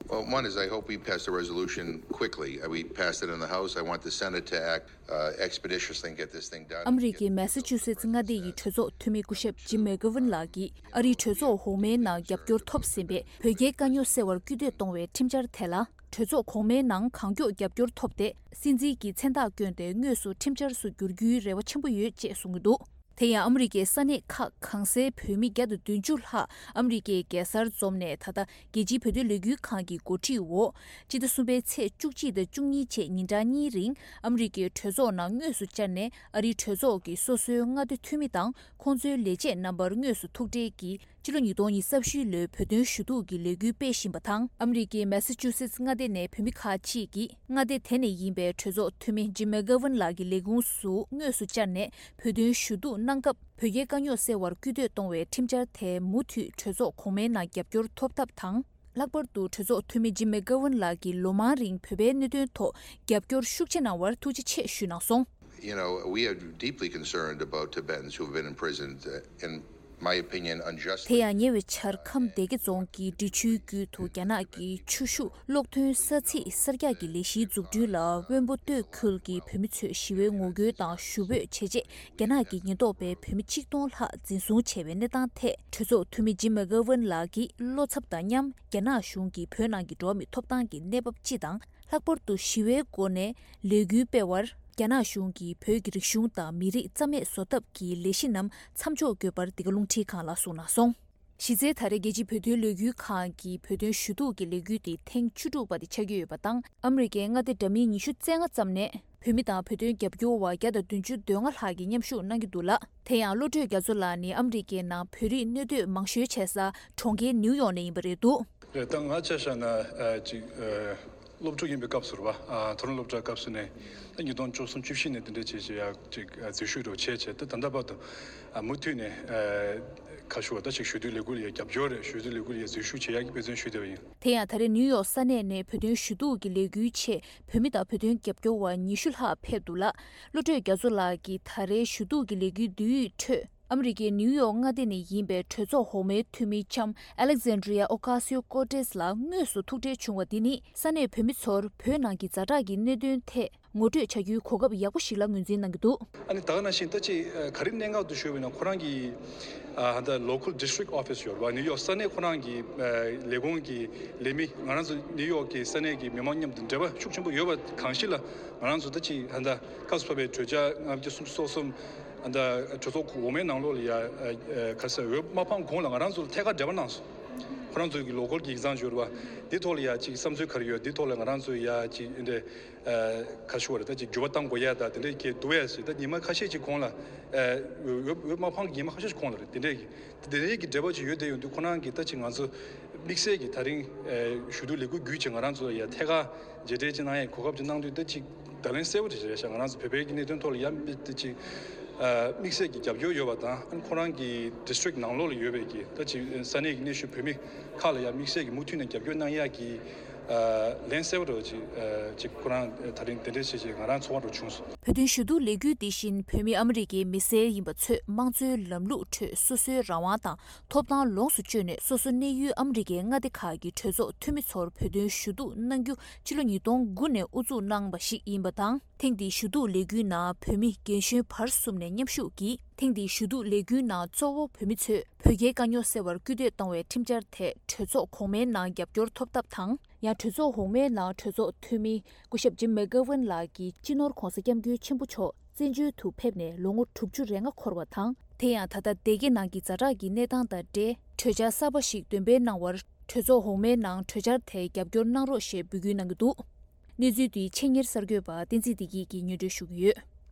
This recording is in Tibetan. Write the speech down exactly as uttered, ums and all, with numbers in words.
Well, one is I hope we pass the resolution quickly. Uh, We passed it in the House. I want the Senate to act uh, expeditiously and get this thing done. ཨ་མི་རི་ཀའི་མེ་སི་ཆུ་སེ་ཙི་མངའ་སྡེ་ཡི་གྲོས་ཚོགས་འཐུས་མི་སྐུ་ཞབས་ཇིམ་མེ་གྷ་ཝིན་ལགས་ཀྱིས་ཨ་རིའི་གྲོས་ཚོགས་འོག་མའི་ནང་རྒྱབ་སྐྱོར་ཐོབ་ཟིན་པའི་བོད་རྒྱའི་དཀའ་རྙོག་སེལ་བར་སྐུལ་འདེད་གཏོང་བའི་ཁྲིམས་འཆར་དེ་ལ། གྲོས་ཚོགས་གོང་མའི་ནང་གང་མགྱོགས་རྒྱབ་སྐྱོར་ཐོབ་སྟེ། སྲིད་འཛིན་གྱི་མཚན་རྟགས་བསྐྱོན་ཏེ་དངོས་སུ་ཁྲིམས་འཆར་སུ་བསྒྱུར་རྒྱུའི་རེ་བ་ཆེན་པོ་ཡོད་ཅེས་གསུངས་ཀྱི་འདུག་དེ་ཡང་ཨ་མི་རི་ཀའི་ས་གནས་ཁག་གང་སའི་བོད་མི་བརྒྱ་དང་བདུན་ཅུ་ལྷག་ཨ་མི་རི་ཀའི་རྒྱལ་སར་འཛོམས་ནས། ད་ལྟ་རྒྱལ་སྤྱིའི་བོད་དོན་ལས་འགུལ་ཁང་གི་འགོ་ཁྲིད་འོག་སྤྱི་ཟླ་གསུམ་པའི་ཚེས་བཅུ་གཅིག་དང་བཅུ་གཉིས་བཅས་ཉིན་གྲངས་གཉིས་རིང་ཨ་མི་རི་ཀའི་གྲོས་ཚོགས་ནང་དངོས་སུ་བཅར་ནས། ཨ་རིའི་གྲོས་ཚོགས་ཀྱི་སོ་སོའི་མངའ་སྡེ་འཐུས་མི་དང་ཁོང་ཚོའི་ལས་བྱེད་རྣམ་པར་དངོས་སུ་ཐུག་འཕྲད་ཀྱིས། ཕྱི་ལོ་ཉིས་སྟོང་ཉི་ཤུ་རྩ་བཞི་ལོའི་བོད་དོན་ཞུ་གཏུག་གི་ལས་འགུལ་སྤེལ་བཞིན་པ་དང་། ཨ་མི་རི་ཀའི་མེ་སི་ཆུ་སེ་ཙི་མངའ་སྡེ་ནས་བོད་མི་ཁག་ཅིག་གིས་མངའ་སྡེ་དེ་ནས་ཡིན་པའི་གྲོས་ཚོགས་འཐུས་མི་ཇིམ་མེ་གྷ་ཝིན་ལགས་ཀྱི་ལས་ཁུངས་སུ་དངོས་སུ་བཅར་ནས་བོད་དོན་ཞུ་གཏུག་གནང་སྐབས། བོད་རྒྱའི་དཀའ་རྙོག་སེལ་བར་སྐུལ་འདེད་གཏོང་བའི་ཁྲིམས་འཆར་དེ་མུ་མཐུད་གྲོས་ཚོགས་གོང་མའི་ནང་རྒྱབ་སྐྱོར་ཐོབ་ཐབས་དང་། ལྷག་པར་དུ་གྲོས་ཚོགས་འཐུས་མི་ཇིམ་མེ་གྷ་ཝིན་ལགས་ཀྱིས་ལོ་མང་རིང་བོད་པའི་གནད་དོན་ཐོག་རྒྱབ་སྐྱོར་ཤུགས་ཆེ་གནང་བར་ཐུགས་རྗེ་ཆེ་ཞུས་གནང་སོང་། You know, we are deeply concerned about Tibetans who have been imprisoned, uh, in my opinion, unjustly. དེ་ཡང་ཉེ་བའི་ཆར་ཁམས་སྡེ་དགེ་རྫོང་གི་འབྲི་ཆུའི་རྒྱུད་དུ་རྒྱ་ནག་གི་ཆུ་ཤུགས་གློག་འདོན་ས་ཚིགས་གསར་རྒྱག་གི་ལས་གཞིའི་འཛུགས་སྐྲུན་ལ་དབོན་པོ་སྟོད་ཁུལ་གྱི་བོད་མི་ཚོས་ཞི་བའི་ངོ་རྒོལ་དང་ཞུ་འབོད་བྱས་རྗེས། རྒྱ་ནག་གི་ཉེན་རྟོག་པས་བོད་མི་ཆིག་སྟོང་ལྷག་འཛིན་བཟུང་བྱས་པའི་གནས་སྟངས་ཐད། གྲོས་ཚོགས་འཐུས་མི་ཇིམ་མེ་གྷ་ཝིན་ལགས་ཀྱིས་བློ་འཚབ་དང་མཉམ། རྒྱ་ནག་གཞུང་གིས་བོད་ནང་གི་འགྲོ་བ་མིའི་ཐོབ་ཐང་གི་གནས་བབ་སྤྱི་དང་། ལྷག་པར་དུ་ཞི་བའི་སྒོ་ནས་ལས་འགུལ་སྤེལ་བར། རྒྱ་ནག་གཞུང་གིས་བོད་ཀྱི་རིག་གཞུང་དང་མི་རིགས་རྩ་མེད་བཟོ་ཐབས་ཀྱི་ལས་གཞི་རྣམས་མཚམས་འཇོག་དགོས་པར། འདི་ག་རླུང་འཕྲིན་ཁང་ལ་གསུངས་གནང་སོང་། གཞི་རྩའི་ད་རེས་རྒྱལ་སྤྱིའི་བོད་དོན་ལས་འགུལ་ཁང་གི་བོད་དོན་ཞུ་གཏུག་གི་ལས་འགུལ་དེ་ཐེངས་བཅུ་དྲུག་པ་དེ་ཆགས་ཀྱི་ཡོད་པ་དང་། ཨ་མི་རི་ཀའི་མངའ་སྡེ་འདྲ་མིན་ཉི་ཤུ་རྩ་ལྔ་ཙམ་ནས་བོད་མི་དང་བོད་དོན་རྒྱབ་སྐྱོར་བ་བརྒྱ་དང་བདུན་ཅུ་དོན་ལྔ་ལྷག་གིས་མཉམ་ཞུགས་གནང་གི་འདུག་ལ། དེ་ཡང་བློ་གྲོས་རྒྱ་མཚོ་ལགས་ནི་ཨ་མི་རི་ཀའི་ནང་བོད་རིགས་གནས་སྡོད་མང་ཤོས་བྱེད་ས་གྲོང་ཁྱེར་ནིའུ་ཡོག་ནས་ཡིན་པ་རེད་འདུག་རེད། ད་ང་ཆ་བཞག་ན་ཨ་ཅིག་ཨ་སློབ་ཕྲུག་ཡིན་པའི་སྐབས་སུ་རེད་པ། ཨ་མཐོ་རིམ་སློབ་གྲྭའི་སྐབས་སུ་ནས་ད་ཉིས་སྟོང་བཅུ་གསུམ་བཅུ་བཞི་ནས་དེ་འདྲ་བྱས་བྱས་ཡག་ཅིག་ཨ་འཛུལ་ཞུགས་འགྲོ་བྱས་བྱས། ད་ད་ལྟ་བར་དུ་ཨ་མུ་མཐུད་ནས་ཨ་ཁ་ཤོ་ད་ཅིག་ཞུ་གཏུག་ལས་འགུལ་ཡ་རྒྱབ་སྐྱོར་རེད། ཞུ་གཏུག་ལས་འགུལ་ཡ་འཛུལ་ཞུགས་བྱེད་ཡག་གི་དཔེ་མཚོན་ཞུ་བསྡད་པ་ཡིན། དེ་ཡང་ད་རེས་ནིའུ་ཡོག་ས་གནས་ནས་བོད་དོན་ཞུ་གཏུག་གི་ལས་འགུལ་ཆེད་བོད་མི་དང་བོད་དོན་རྒྱབ་སྐྱོར་བ་ཉི་ཤུ་ལྷག་ཕེབས་འདུག་ལ། བློ་གྲོས་རྒྱ་མཚོ་ལགས་ཀྱིས་ད་རེས་ཞུ་གཏུག་གི་ལས་འགུལ་བསྡུས་ཡིག་ཁྲོད། ཨ་མི་རི་ཀའི་ནིའུ་ཡོག་མངའ་སྡེ་ནས་ཡིན་པའི་གྲོས་ཚོགས་འོག་མའི་འཐུས་མི་ལྕམ་Alexandria Ocasio-Cortez ལ་དངོས་སུ་ཐུག་འཕྲད་བྱུང་བ་འདི་ནི་ས་གནས་བོད་མི་ཚོར་བོད་ནང་གི་ཛ་དྲག་གི་གནད་དོན་ཐད་ངོ་སྤྲོད་བྱ་རྒྱུའི་གོ་སྐབས་ཡག་པོ་ཞིག་ལ་ངོས་འཛིན་གནང་གི་འདུག་ཨ་ནི་ད་ག་ནང་བཞིན་ད་ཅི་ཨ་ག་རེ་གནད་འགག་ཏུ་ཞུགས་པ་ཡིན་ན། ཁོ་རང་གི་ཨ་ད་local district office ཡོད་རེད་པ། ནིའུ་ཡོག་ས་གནས་ཁོ་རང་གི་ཨ་ལས་ཁུངས་ཀྱི་ལས་མི། ང་རང་ཚོ་ནིའུ་ཡོག་གི་ས་གནས་ཀྱི་མི་མང་མཉམ་དུ་འབྲེལ་བ་ཤུགས་ཆེན་པོ་ཡོད་པ་གང་ཞིག་ལ། ང་རང་ཚོ་ད་ཅི་ཨ་ད་སྐབས་སུ་བབས་པའི་གྲོས་འཆར་ལྔ་བཅུ་སུམ་ཅུ་སོ་གསུམ། ཨ་ད་གྲོས་ཚོགས་འོག་མའི་ནང་ལོགས་ལ་ཡ་ཨ་ཨ་ག་ས་འོས་མ་ཕངས་གོང་ལ་ང་རང་ཚོ་ལ་ཐད་ཀར་འབྲེལ་བ་གནང་སོང་། ཁོ་རང་ཚོ་གི་local གི་ཡིག་ཚང་འབྱོར་བ་འདི་ཐོག་ལ་ཡ་ཅིག་བསམ་ཚུལ་ག་རེ་ཡོད། འདི་ཐོག་ལ་ང་རང་ཚོ་ཡ་ཅིག་འདི་འདྲ་ཨ་ག་ཞུ་བ་རེད། ད་ཅིག་འགྱུར་བ་གཏང་དགོས་ཡ་ད་དེ་འདྲ་གི་འདུག་ཡ་ཞིག་ད་ཉི་མ་ཁ་ཤས་ཅིག་གོང་ལ་ཨ་འོས་འོས་མ་ཕངས་ཉི་མ་ཁ་ཤས་ཅིག་གོང་ལ་རེད། དེ་འདྲ་གི་དེ་འདྲའི་གི་འབྲེལ་བ་ཅིག་ཡོད་བསྡད་ཡོང་དུས། ཁོ་རང་གིས་ད་ཅིག་ང་ཚོ་དམིགས་བསལ་གྱི་ད་རིང་ཨ་ཞུ་གཏུག་ལས་འགུལ་བརྒྱུད་ཅིག་ང་རང་ཚོ་ཡ་ཐད་ཀར་མཇལ་འཕྲད་ཅིག་གནང་ཡའི་གོ་སྐབས་ཅིག་གནང་དུས། ད་ཅིག་བརྡ་ལན་གསལ་པོ་ཅིག་རེད་ཤག་ང་རང་ཚོ་བོད་པའི་གི་གནད་དོན་ཐོག་ལ་ཡ་ད་ཅིག་ཨ་དམིགས་བསལ་གྱི་རྒྱབ་སྐྱོར་ཡོད་པ་དང་། ཨ་ཁོ་རང་གི་district ནང་ལོགས་ལ་ཡོད་པའི་གི་ད་ཅིག་ས་གནས་ཀྱི་གནས་བཞུགས་བོད་མི་ཁག་ལ་ཡ་དམིགས་བསལ་གྱི་མུ་མཐུད་ནས་རྒྱབ་སྐྱོར་གནང་ཡ་གི་ཨ་ལན་གསལ་པོ་འདྲ་བོ་ཅིག་ཨ་ཅིག་ཁོ་རང་ད་རིང་དེ་འདྲ་བྱས་བྱས་ང་རང་ཚོར་བ་འདྲ་བྱུང་སོང་། བོད་དོན་ཞུ་གཏུག་ལས་འགུལ་འདི་བཞིན་བོད་མི་ཨ་མི་རི་ཀའི་མི་སེར་ཡིན་པ་ཚོས་དམངས་གཙོའི་ལམ་ལུགས་ཁྲོད་སོ་སོའི་རང་དབང་དང་ཐོབ་ཐང་ལོངས་སུ་སྤྱོད་ནས། སོ་སོ་གནས་ཡུལ་ཨ་མི་རི་ཀའི་མངའ་སྡེ་ཁག་གི་གྲོས་ཚོགས་འཐུས་མི་ཚོར་བོད་དོན་ཞུ་གཏུག་གནང་རྒྱུ་ཕྱི་ལོ་ཉིས་སྟོང་དགུ་ནས་དབུ་འཛུགས་གནང་བ་ཞིག་ཡིན་པ་དང་། ཐེངས་འདིའི་ཞུ་གཏུག་ལས་འགུལ་ནང་བོད་མི་རྒན་གཞོན་བར་གསུམ་ནས་མཉམ་ཞུགས་ཀྱིས། ཐེངས་འདིའི་ཞུ་གཏུག་ལས་འགུལ་ནང་གཙོ་བོ་བོད་མི་ཚོས་བོད་རྒྱའི་དཀའ་རྙོག་སེལ་བར་སྐུལ་འདེད་གཏོང་བའི་ཁྲིམས་འཆར་ཐད་གྲོས་ཚོགས་གོང་མའི་ནང་རྒྱབ་སྐྱོར་ཐོབ་ཐབས་དང་། ཡང་གྲོས་ཚོགས་འོག་མའི་ནང་གྲོས་ཚོགས་འཐུས་མི་སྐུ་ཞབས་ཇིམ་མེ་གྷ་ཝིན་ལགས་ཀྱིས་སྤྱི་ནོར་༧གོང་ས་༧སྐྱབས་མགོན་ཆེན་པོ་མཆོག་བཙན་བྱོལ་དུ་ཕེབས་ནས་ལོ་ངོ་དྲུག་ཅུ་རེ་ལྔ་འཁོར་བ་དང་། དེ་ཡང་ད་ལྟ་སྡེ་དགེ་ནང་གི་ཛ་དྲག་གི་གནས་སྟངས་དང་འབྲེལ། གྲོས་འཆར་གསར་པ་ཞིག་འདོན་སྤེལ་གནང་བར། གྲོས་ཚོགས་འོག་མའི་ནང་གྲོས་འཆར་དེ་རྒྱབ་སྐྱོར་གནང་རོགས་ཞེས་འབོད་སྐུལ་གནང་གི་འདུག་གནས་ཚུལ་འདི་ཆེད་གཉེར་གསར་འགོད་པ་བསྟན་འཛིན་བདེ་སྐྱིད་ཀྱིས་སྙན་སྒྲོན་ཞུ་གི་ཡོད།